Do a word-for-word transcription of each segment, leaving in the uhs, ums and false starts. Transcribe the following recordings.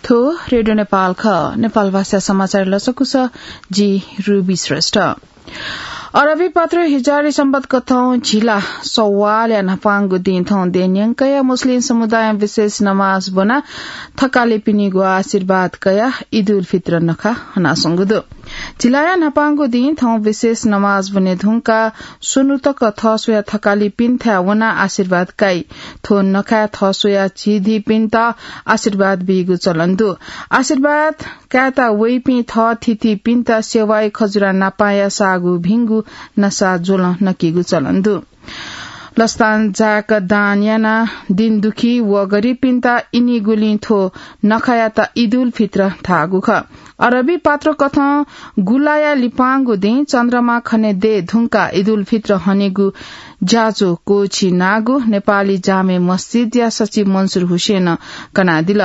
थ्व रेडियो नेपाल खः। नेपाल भाषा समाचार लसकुस, जि रुबी श्रेष्ठ। अरबी पात्रो हिजारी संवत कथं झिला सवालया न्हापांगु दिं थौं देय् न्यंकया मुस्लिम समुदायं विशेष नमाज ब्वना थकालिपिनिगु आशीर्वाद कयाः ईद उल फित्र नखा हनासंगु दु। झिलाया न्हापांगु दिं थौं विशेष नमाज ब्वने धुंकाः स्वन्हु तक थःस्वया थकालिपिन्थाय् वनाः आशीर्वाद काइ। थ्व नखाय् थःस्वया झिधीपिन्त आशीर्वाद बीगु चलन दु। आशीर्वाद कायेत वइपिं थःथितिपिन्त सेवाय् खजुरा नापांया साःगु भिंगु नसा ज्वलं नकीगु चलन दु। लसतां जाक दान यानाः दिनदुखी व गरिबपिन्त इनिगुलिं थ्व नखायात ईद उल फित्र धाःगु खः। अरबी पात्रो कथं गुलाया लिपांगु दिं चन्द्रमा खने देय् धुंकाः ईद उल फित्र हनेगु ज्याझ्वः क्वःछिनागु नेपाली जामे मस्जिदया सचिव मन्सुर हुसेनं कनादिल।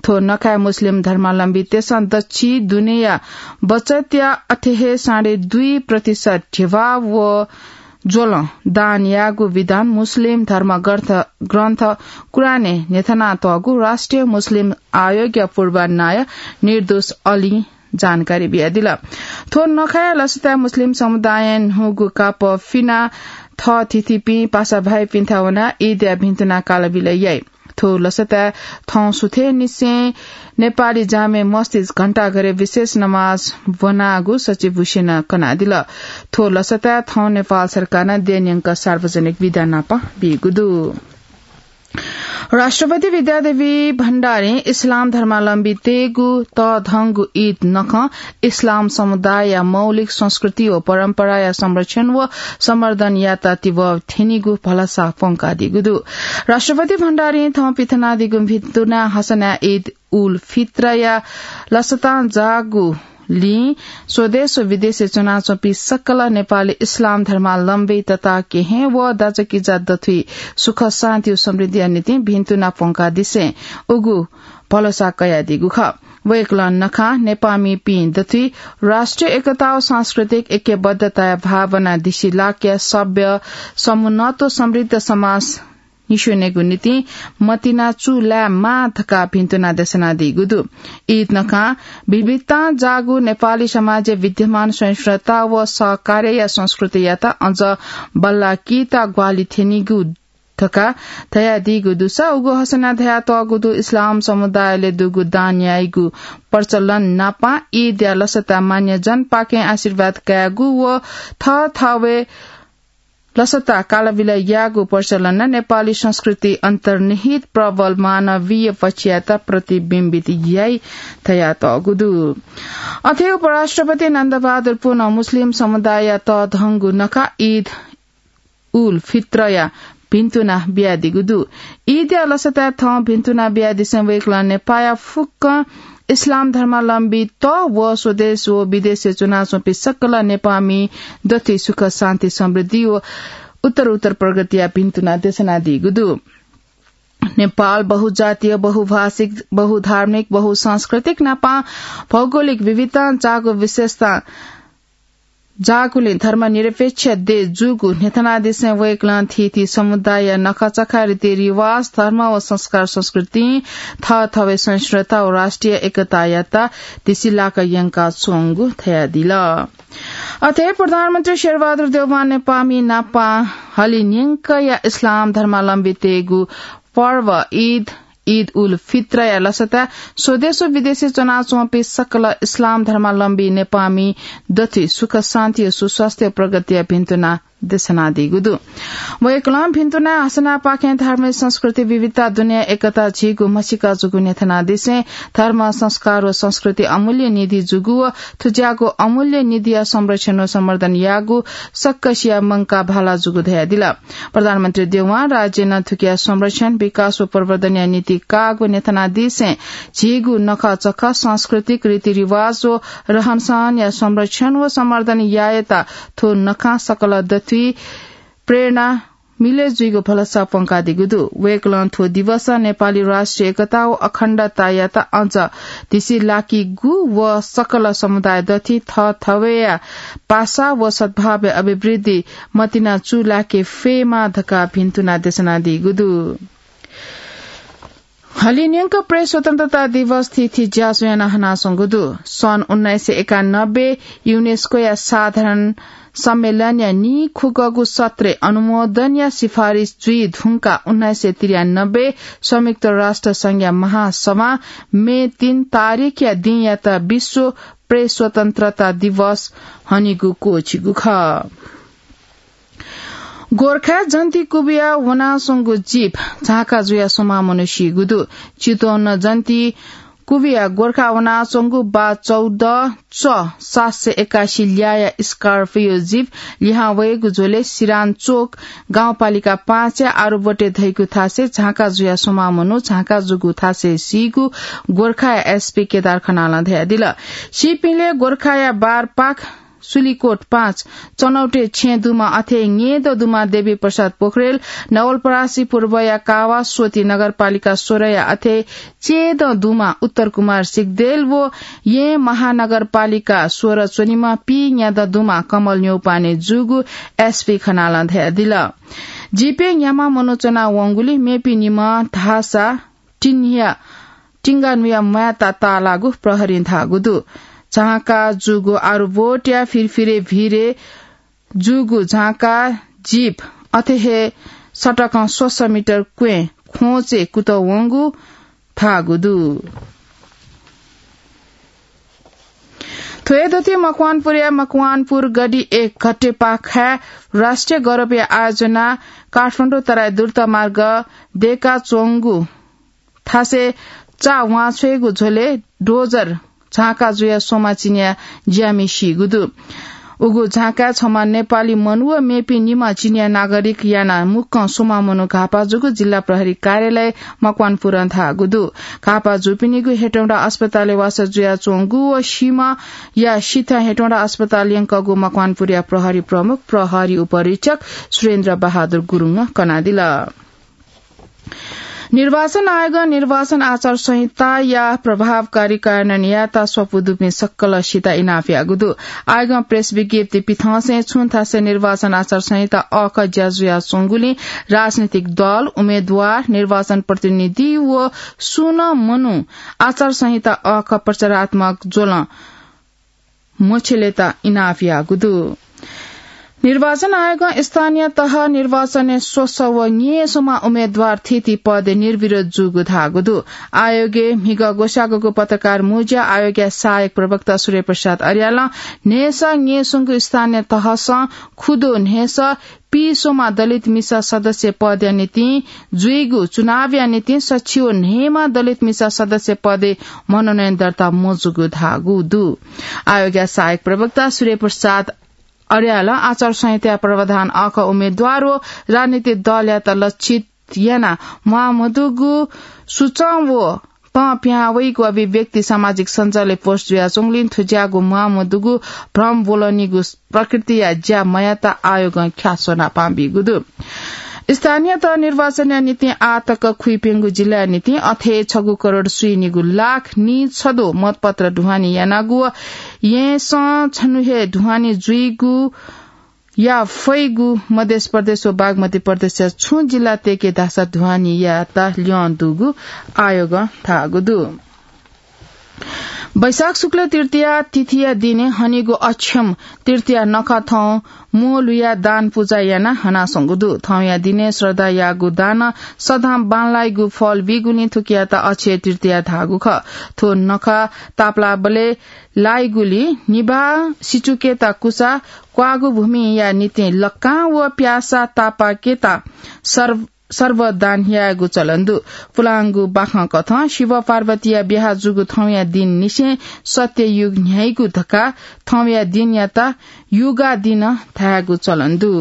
थ्व नखाय् मुस्लिम धर्मावलम्बीतय्सं दच्छि दुनेया बचतया अथे हे साढे दुई प्रतिशत ध्यबा व ज्वलं दान याःगु विधान मुस्लिम धर्म ग्रन्थ, ग्रन्थ कुरानय् न्ह्यथनातःगु राष्ट्रिय मुस्लिम आयोगया पूर्वनायः निर्दोष अलीं जानकारी बियादिल। थ्व नखाया लसताय् मुस्लिम समुदायं न्हूगु कापः फिनाः थःथितिपिं पासाभाइपिन्थाय् वनाः ईदया भिन्तुना कालबिल याइ। थ्व लसताय् थौं सुथय् निसें नेपाली जामे मस्जिद घण्टाघरय् विशेष नमाज ब्वनागु सचिव हुसेनं कनादिल। थ्व लसताय् थौं नेपाल सरकारं देय् न्यंक सार्वजनिक बिदा नापं बीगु दु। राष्ट्रपति विद्यादेवी भण्डारीं इस्लाम धर्मावलम्बीतय्गु तःधंगु ईद नखं इस्लाम समुदायया मौलिक संस्कृति व परम्पराया संरक्षण व सम्वर्धन यात तिबः थ्यनीगु भलसा प्वंकादीगु दु। राष्ट्रपति भण्डारीं थौं पिथनादीगु भिन्तुना हसनाय् ईद उल फित्रया लसतां जाःगुलिं स्वदेश व विदेशय् च्वनाच्वंपिं सकल नेपाली इस्लाम धर्मावलम्बी तता केहेँ व दाजुकिजा दथुइ सुख शान्ति व समृद्धिया निंतिं भिन्तुना प्वंकादिसें उगु भलसा कयादीगु खः। वय्कलं नखं नेपाःमिपिं दथुइ राष्ट्रिय एकता व सांस्कृतिक ऐक्यबद्धताया भावना दिसिलाकया सभ्य, समुन्नत व समृद्ध समाज निस्वनेगु निंतिं मतिना चूलायेमाः धकाः भिन्तुना देछानादीगु दु। ईद नखं विविधतां जाःगु नेपाली समाजय् विद्यमान सहिष्णुता व सहकार्यया संस्कृतियात अझ बल्लाकीत ग्वाहालि थ्यनीगु धकाः धयादीगु दुसा उगु हसनाय् धयातःगु दु। इस्लाम समुदायले दुगु दान याइगु प्रचलन नापं ईदया लसताय् मान्यजनपाखें आशीर्वाद कायेगु व थःथवय् लसता कालबिल यायेगु प्रचलन नं नेपाली संस्कृति अन्तर्निहित प्रबल मानवीय पक्षयात प्रतिबिम्बित याइ धयातःगु दु। अथे उपराष्ट्रपति नन्दबहादुर पुनं मुस्लिम समुदायया तःधंगु नखः ईद उल फित्रया भिन्तुना बियादीगु दु। ईदया लसताय् थौं भिन्तुना बियादिसें वय्कलं नेपाःया फुक्क इस्लाम धर्मावलम्बीत व स्वदेश व विदेशय् च्वनाच्वंपिं सकल नेपाःमि दथुइ सुख, शान्ति, समृद्धि व उत्तर उत्तर प्रगतिया भिन्तुना देछानादीगु दु। नेपाल बहुजातीय, बहुभाषिक, बहुधार्मिक, बहुसांस्कृतिक नापं भौगोलिक विविधतां जाःगु विशेषता जाःगुलिं धर्मनिरपेक्ष देश जूगु न्ह्यथनादिसें वय्कलं थीथी समुदायया नखःचखः, रीतिरिवाज, धर्म व संस्कार संस्कृतिं थःथवय् सहिष्णुता व राष्ट्रिय एकतायात दिसिलाक यंकाच्वंगु धयादिल। अथे प्रधानमन्त्री शेरबहादुर देउवां नेपाःमि नापं हलिं न्यंकया इस्लाम धर्मावलम्बीतय्गु पर्व ईद, ईद उल फित्रया लसताय् स्वदेश व विदेशय् च्वनाच्वंपिं सकल इस्लाम धर्मावलम्बी नेपाःमि दथुइ सुख, शान्ति, सुस्वास्थ्य, प्रगतिया भिन्तुना देछानादीगु दु। वय्कलं भिन्तुना हसनापाखें धार्मिक संस्कृति विविधता दुनेया एकता झीगु म्हसीका जूगु न्ह्यथनादिसें धर्म, संस्कार व संस्कृति अमूल्य निधि जूगु व थुज्याःगु अमूल्य निधिया संरक्षण व सम्वर्धन याःगु सक्कसिया मंकाः भाला जूगु धयादिल। प्रधानमन्त्री देउवां राज्यं नं थुकिया संरक्षण, विकास व प्रवर्धनया निंतिं काःगु न्ह्यथनादिसें झीगु नखःचखः, सांस्कृतिक रीतिरिवाज व रहनसहनया संरक्षण व सम्वर्धन यायेत थ्व नखं सकल दथुइ प्रेरणा मिले जुइगु भलसा प्वंकादीगु दु। वय्कलं थ्व दिवसं नेपाली राष्ट्रिय एकता व अखण्डतायात अझ दिसिलाकीगु व सकल समुदाय दथुइ थःथवय्या पासा व सद्भावया अभिवृद्धि मतिना चूलाके फयेमा धकाः भिन्तुना देछानादीगु दु। हलिं न्यंक प्रेस स्वतन्त्रता दिवस थीथी ज्याझ्वः याना हनाच्वंगु दु। सन् उन्नाइस सय एकानब्बे युनेस्कोया साधारण सम्मेलनया नीखुगःगु सत्रय् अनुमोदनया सिफारिस जुइ धुंकाः उन्नाइस सय त्रियानब्बे संयुक्त राष्ट्र संघया महासभा मे तीन तारिखया दिंयात विश्व प्रेस स्वतन्त्रता दिवस हनेगु क्वःछिगु खः। गोर्खाय् जन्ती कुबिया वनाच्वंगु जीप झांका जुयाः स्वम्ह मनू सीगु दु। चितवन जन्ती कुबिया गोर्खा वनाच्वंगु बा चौध च सात सय एकासी ल्याःया Scorpio जीप लिहां वयेगु झ्वलय् सिरान चोक गाउँपालिका पाँचया आरुबोटे धइगु थासय् झांका जुयाः स्वम्ह मनू झांका जूगु थासय् सीगु गोर्खाया एसपी केदार खनालं धयादिल। सीपिंलय् गोर्खाया बारपाख सुलिकोट पाँच, चनौटे छेँ दुमा अथे ङेद दुमा देवी प्रसाद पोखरेल, नवलपरासी पूर्वया कावा, स्वती नगरपालिका सोह्रया अथे चेद दुमा उत्तर कुमार सिग्देल व येँ महानगरपालिका सोह्र च्वनीमा पीन्याद दुमा कमल न्यौपाने जूगु एसपी खनालं धयादिल। जीपय् न्याम्ह मनू च्वना वंगुलिं मेपिं निम्ह धाःसा टिन्हिया टिंगानुया म्वायेत ताःलाःगु प्रहरीं धाःगु दु। झांका जूगु आरुबोटया फिरफिरे भिरय् जूगु झांका जीप अथे हे सडकं स्वसः मिटर क्वँय् ख्वंचय् कुतःवंगु धाःगु दु। थ्व हे दथुइ मकवानपुरया मकवानपुर गढी एक घट्टेपाखाय् राष्ट्रिय गौरवया आयोजना काठमाडौं तराई द्रुतमार्ग दय्काच्वंगु थासय् चा वांछ्वयेगु झ्वलय् डोजर झांका जुयाः स्वम्ह चिनिया ज्यामि सीगु दु। उगु झांकाय् छम्ह नेपाली मनू व मेपिं निम्ह चिनिया नागरिक यानाः मुक्कं स्वम्ह मनू घाःपा जूगु जिल्ला प्रहरी कार्यालय मकवानपुरं धाःगु दु। घाःपा जूपिनिगु हेटौंडा अस्पतालय् वासः जुयाच्वंगु व सीम्हया सिथं हेटौंडा अस्पताल यंकःगु मकवानपुरया प्रहरी प्रमुख प्रहरी उपरीक्षक सुरेन्द्र बहादुर गुरुङं कनादिल। निर्वाचन आयोगं निर्वाचन आचार संहिताया प्रभावकारी कार्यान्वयन यायेत स्वापू दुपिं सकलसित इनाप याःगु दु। आयोगं प्रेस विज्ञप्ति पिथंसें छुं थासय् निर्वाचन आचार संहिता अःखः ज्या जुयाच्वंगुलिं राजनीतिक दल, उम्मेद्वार, निर्वाचन प्रतिनिधि व सुं नं मनू आचार संहिता अःखः प्रचारात्मक ज्वलं मछ्यलेत इनाप याःगु दु। निर्वाचन आयोगं स्थानीय तह निर्वाचनय् स्वसः व न्यय् स्वम्ह उम्मेद्वार थीथी पदय् निर्विरोध जूगु धाःगु दु। आयोगय् म्हिगः ग्वसाःगुगु पत्रकार मुँज्या आयोगया सहायक प्रवक्ता सूर्यप्रसाद अर्यालं न्हय्सः न्यय् स्वंगु स्थानीय तहसं खुदँ न्हय्सः पीस्वम्ह दलित मिसा सदस्य पदया निंतिं जुइगु चुनावया निंतिं सच्छि व न्हय्म्ह दलित मिसा सदस्य पदय् मनोनयन दर्ता मजूगु धाःगु दु। आयोगया सहायक प्रवक्ता सूर्यप्रसाद अर्यालं आचार संहिताया प्रावधान अःखः उम्मेद्वार व राजनीतिक दलयात लक्षित यानाः म्वाःमदुगु सुचं व तं पिहां वइगु अभिव्यक्ति सामाजिक सञ्जालय् पोस्ट जुयाच्वंगुलिं थ्व ज्याःगु म्वाःमदुगु भ्रम ब्वलनीगु प्रकृतिया ज्या मयायेत आयोगं ख्याः स्वनापां बीगु दु। स्थानीय तह निर्वाचनया निंतिं आः तक खुइप्यंगु जिल्लाया निंतिं अथे छगू करोड स्वीनिगू लाख निछद्वः मतपत्र ढुवानी यानागु व येँसं छन्हु हे ढुवानी जुइगु या फइगु मध्य प्रदेश व बागमती प्रदेशया छुं जिल्ला तय्के धाःसा ढुवानी यायेत ल्यं दुगु आयोगं धाःगु दु। वैशाख शुक्ल तृतीया तिथिया दिनय् हनीगु अक्षम तृतीया नखः थौं म्वः लुयाः दान पुजा यानाः हनाच्वंगु दु। थौंया दिनय् श्रद्धायागु दानं सदां बांलाइगु फल बीगुलिं थुकियात अक्षय तृतीया धाःगु खः। थ्व नखः तापालाबलय् लाइगुलिं निभाः सिचुकेत कुचा क्वाःगु भूमिया निंतिं लक्कां व प्यासा तापाकेत सर्व सर्व दान यायेगु चलन दु। पुलांगु बाखंकथं शिव पार्वतीया ब्याहा जूगु थौंया दिननिसें सत्ययुग न्ह्याइगु धकाः थौंया दिनयात युगा दिन धायेगु चलन दु।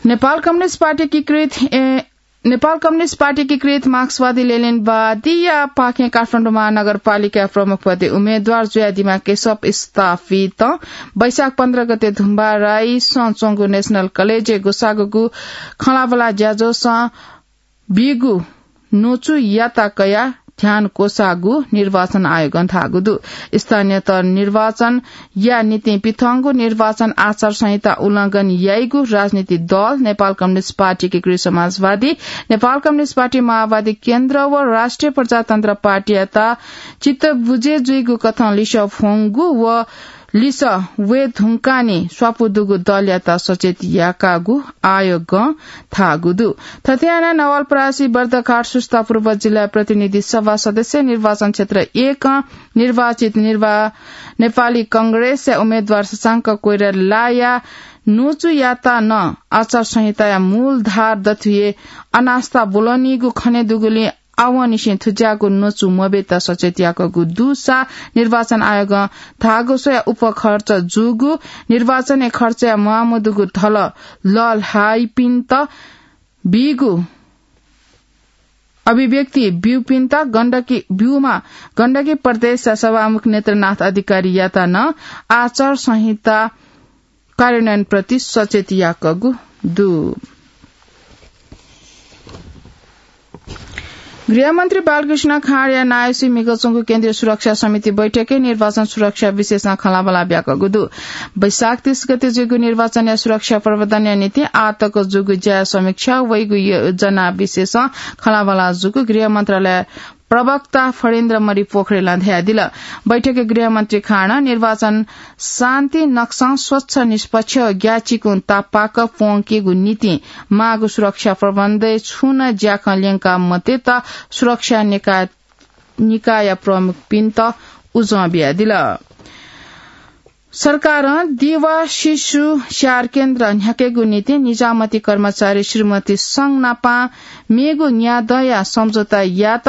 नेपाल कम्युनिस्ट पार्टी एकीकृत, ए, नेपाल कम्युनिस्ट पार्टी एकीकृत मार्क्सवादी लेनिनवादीया पाखें काठमाडौं महानगरपालिका प्रमुख पदे उम्मेद्वार जुयादीम्ह केशव स्थापितं वैशाख पन्ध्र गते धुम्बा राइसं च्वंगु नेशनल कलेजय् ग्वसाःगु खँल्हाबल्हा ज्याझ्वलय् बीगु न्वचुयात कयाः ध्यान क्वसाःगु निर्वाचन आयोगं धाःगु दु। स्थानीय तह निर्वाचनया निंतिं पिथंगु निर्वाचन आचार संहिता उल्लंघन याइगु राजनीतिक दल नेपाल कम्युनिस्ट पार्टी, एकीकृत समाजवादी, नेपाल कम्युनिस्ट पार्टी, माओवादी केन्द्र व राष्ट्रिय प्रजातन्त्र पार्टीयात चित्त बुझे जुइगु कथं लिसः फ्वंगु व लिसः वये धुंकाः नि स्वापू दुगु दलयात सचेत याकागु आयोगं धाःगु दु। थथे यानाः नवलपरासी, बर्दघाट, सुस्ता पूर्व जिल्ला प्रतिनिधि सभा सदस्य निर्वाचन क्षेत्र एकं निर्वाचित निर्वा-, नेपाली कांग्रेसया उम्मेद्वार शशांक कोइरालाया न्वचुयात नं आचार संहिताया मूल धार दथुइ अनास्था ब्वलनीगु खने दुगुलिं आवंनिसें थुज्याःगु न्वचु मब्येत सचेत याकूगु दुसा निर्वाचन आयोगं धाःगु स्वयाः उपखर्च जूगु, निर्वाचनय् खर्चया म्वाःमदुगु धलः लःल्हाइपिन्त बीगु अभिव्यक्ति ब्यूपिन्त गण्डकी, ब्यूमा गण्डकी प्रदेशया सभामुख नेत्रनाथ अधिकारीयात नं आचार संहिता कार्यान्वयनप्रति सचेत याकूगु दु। गृहमन्त्री बालकृष्ण खाँडया नायःसी म्हिगः च्वंगु केन्द्रीय सुरक्षा समिति बैठकय् निर्वाचन सुरक्षा विषयसं खँल्हाबल्हा ब्याकूगु दु। वैशाख तीस गते जूगु निर्वाचनया सुरक्षा प्रबन्धनया निंतिं आःतक जूगु ज्याया समीक्षा, वइगु योजना विषयसं खँल्हाबल्हा जूगु गृह मन्त्रालय प्रवक्ता फणीन्द्र मणि पोखरेलं धयादिल। बैठकय् गृहमन्त्री खाँडं निर्वाचन शान्ति नक्सं स्वच्छ, निष्पक्ष, ग्याःचिकुं तापाक प्वंकेगु निंतिं माःगु सुरक्षा प्रबन्धय् छुं नं ज्याखँ ल्यंका मतेत सुरक्षा निकाय, निकाय प्रमुखपिन्त उजं बियादिल। सरकारं दिवा शिशु स्याहार केन्द्र न्ह्याकेगु निंतिं निजामती कर्मचारी श्रीमती संघ नापं मेगु न्यादँया सम्झौता यात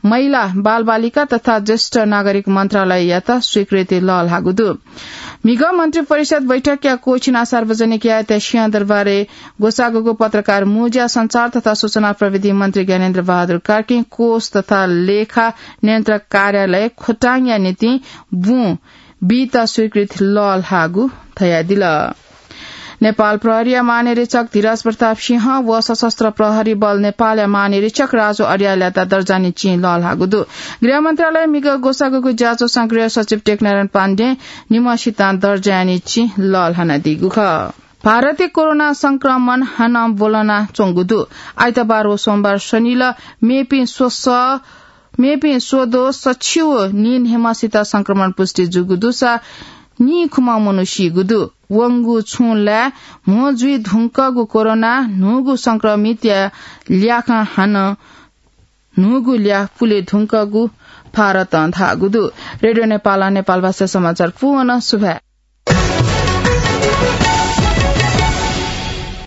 महिला, बालबालिका तथा ज्येष्ठ नागरिक मन्त्रालययात स्वीकृति लःल्हाःगु दु। म्हिगः मन्त्री परिषद बैठकया कोःछिना सार्वजनिक यायेत सिंहदरबारय् ग्वसाःगु पत्रकार मुँज्या सञ्चार तथा सूचना प्रविधि मन्त्री ज्ञानेन्द्र बहादुर कार्कीं कोष तथा लेखा नियन्त्रक कार्यालय खोटाङया निंतिं बुँ बीत स्वीकृति लःल्हाःगु धयादिल। नेपाल प्रहरीया महानिरीक्षक धीरज प्रताप सिंह व सशस्त्र प्रहरी बल नेपालया महानिरीक्षक राजु अर्यालयात दर्जाया चिं लःल्हाःगु दु। गृह मन्त्रालयं म्हिगः ग्वसाःगु ज्याझ्वलय् गृह सचिव टेकनारायण पाण्डें निम्हसितं दर्जाया चिं लःल्हानादीगु खः। भारतय् कोरोना संक्रमण हानं ब्वलना च्वंगु दु। आइतबार व सोमबार स्वनिल मेपिं स्वसः मेपिं स्वद्वः सछि व नीन्हय्‌म्हसित संक्रमण पुष्टि जूगु दुसा नीखुम्ह मनू सीगु दु। वंगु छुं लाय् म्हो जुइ धुंकूगु कोरोना न्हूगु संक्रमितया ल्याखं हानं न्हूगु ल्याः पुले धुंकूगु भारतं धाःगु दु। रेडियो नेपालं नेपालभाषा समाचार पूवन सुभाय्।